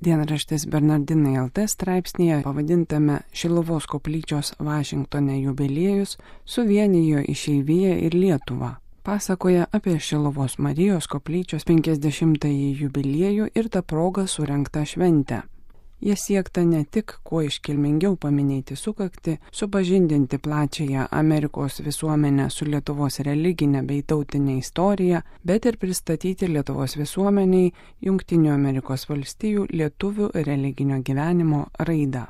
Dienraštis Bernardinai LT straipsnėje pavadintame Šiluvos koplyčios Vašingtone jubiliejus suvienijo išeiviją ir Lietuvą. Pasakoja apie Šiluvos Marijos koplyčios 50-ąjį jubiliejų ir tą progą surengtą šventę. Jie siekta ne tik kuo iškilmingiau paminėti sukaktį, supažindinti plačiąją Amerikos visuomenę su Lietuvos religinė bei tautinė istorija, bet ir pristatyti Lietuvos visuomeniai Jungtinių Amerikos valstijų lietuvių religinio gyvenimo raidą.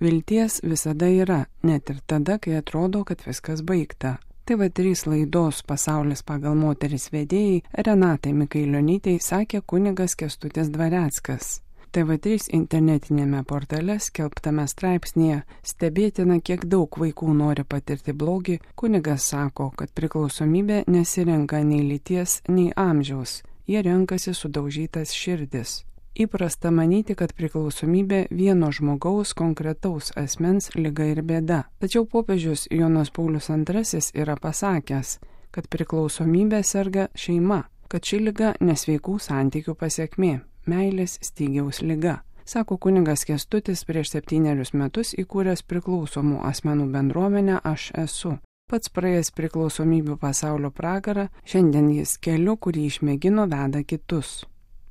Vilties visada yra, net ir tada, kai atrodo, kad viskas baigta. TV3 laidos Pasaulis pagal moteris vedėjai Renatai Mikailionytei sakė kunigas Kęstutis Dvareckas. TV3 internetinėme portale skelbtame straipsnėje stebėtina, kiek daug vaikų nori patirti blogį. Kunigas sako, kad priklausomybė nesirenka nei lyties, nei amžiaus. Jie renkasi sudaužytas širdis. Įprasta manyti, kad priklausomybė vieno žmogaus konkretaus asmens liga ir bėda. Tačiau popiežius Jonas Paulius II yra pasakęs, kad priklausomybė serga šeima, kad ši liga nesveikų santykių pasekmė. Meilės stygiaus liga, sako kunigas Kęstutis prieš 7 metus įkūręs priklausomų asmenų bendruomenę Aš esu. Pats praėjęs priklausomybių pasaulio pragarą, šiandien jis keliu, kurį išmėgino, veda kitus.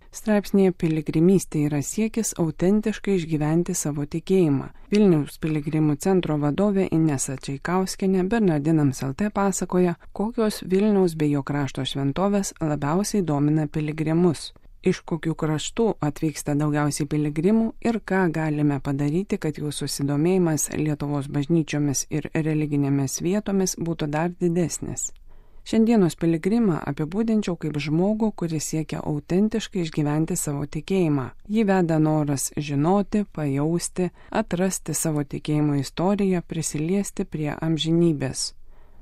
Straipsnėje piligrimystė yra siekis autentiškai išgyventi savo tikėjimą. Vilniaus piligrimų centro vadovė Inesa Čaikauskienė Bernardinams LT pasakoja, kokios Vilniaus bei jo krašto šventovės labiausiai domina piligrimus. Iš kokių kraštų atvyksta daugiausiai piligrimų ir ką galime padaryti, kad jų susidomėjimas Lietuvos bažnyčiomis ir religinėmis vietomis būtų dar didesnis. Šiandienos piligrimą apibūdinčiau kaip žmogų, kuris siekia autentiškai išgyventi savo tikėjimą. Jį veda noras žinoti, pajausti, atrasti savo tikėjimo istoriją, prisiliesti prie amžinybės.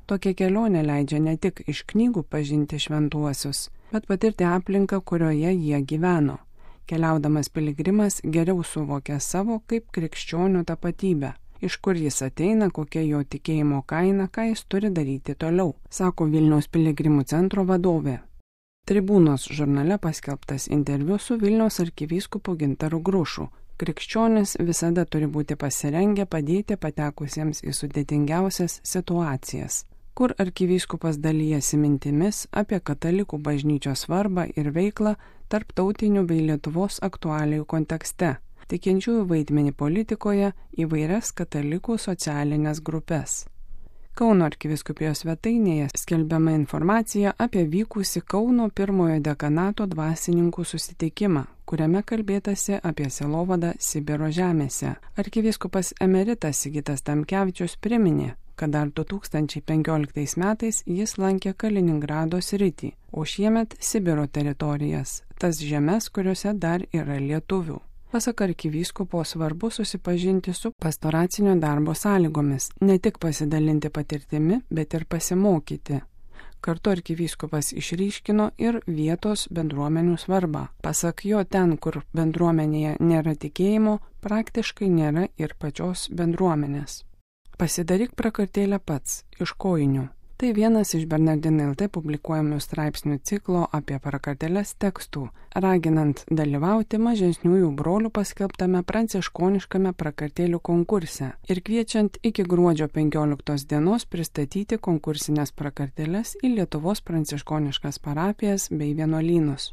Tokia kelionė leidžia ne tik iš knygų pažinti šventuosius, bet patirti aplinką, kurioje jie gyveno. Keliaudamas piligrimas geriau suvokia savo kaip krikščionių tapatybę, iš kur jis ateina, kokia jo tikėjimo kaina, ką jis turi daryti toliau, sako Vilniaus piligrimų centro vadovė. Tribūnos žurnale paskelbtas interviu su Vilniaus arkivyskupu Gintaru Grušu. Krikščionis visada turi būti pasirengę padėti patekusiems į sudėtingiausias situacijas, kur arkivyskupas dalijasi mintimis apie katalikų bažnyčios svarbą ir veiklą tarptautinių bei Lietuvos aktualijų kontekste, tikinčiųjų vaidmenį politikoje, įvairias katalikų socialinės grupės. Kauno arkivyskupijos svetainėje skelbiama informacija apie vykusį Kauno pirmojo dekanato dvasininkų susitikimą, kuriame kalbėtasi apie sielovadą Sibiro žemėse. Arkivyskupas emeritas Sigitas Tamkevičius priminė, kad dar 2015 metais jis lankė Kaliningrado sritį, o šiemet Sibiro teritorijas, tas žemes, kuriuose dar yra lietuvių. Pasak arkivyskupo svarbu susipažinti su pastoracinio darbo sąlygomis, ne tik pasidalinti patirtimi, bet ir pasimokyti. Kartu arkivyskupas išryškino ir vietos bendruomenių svarbą. Pasak jo, ten, kur bendruomenėje nėra tikėjimo, praktiškai nėra ir pačios bendruomenės. Pasidaryk prakartėlę pats, iš kojinių. Tai vienas iš Bernardinai LT publikuojamų straipsnių ciklo apie prakartėles tekstų, raginant dalyvauti mažesniųjų brolių paskelbtame pranciškoniškame prakartėlių konkurse ir kviečiant iki gruodžio 15 dienos pristatyti konkursinės prakartėles į Lietuvos pranciškoniškas parapijas bei vienuolynus.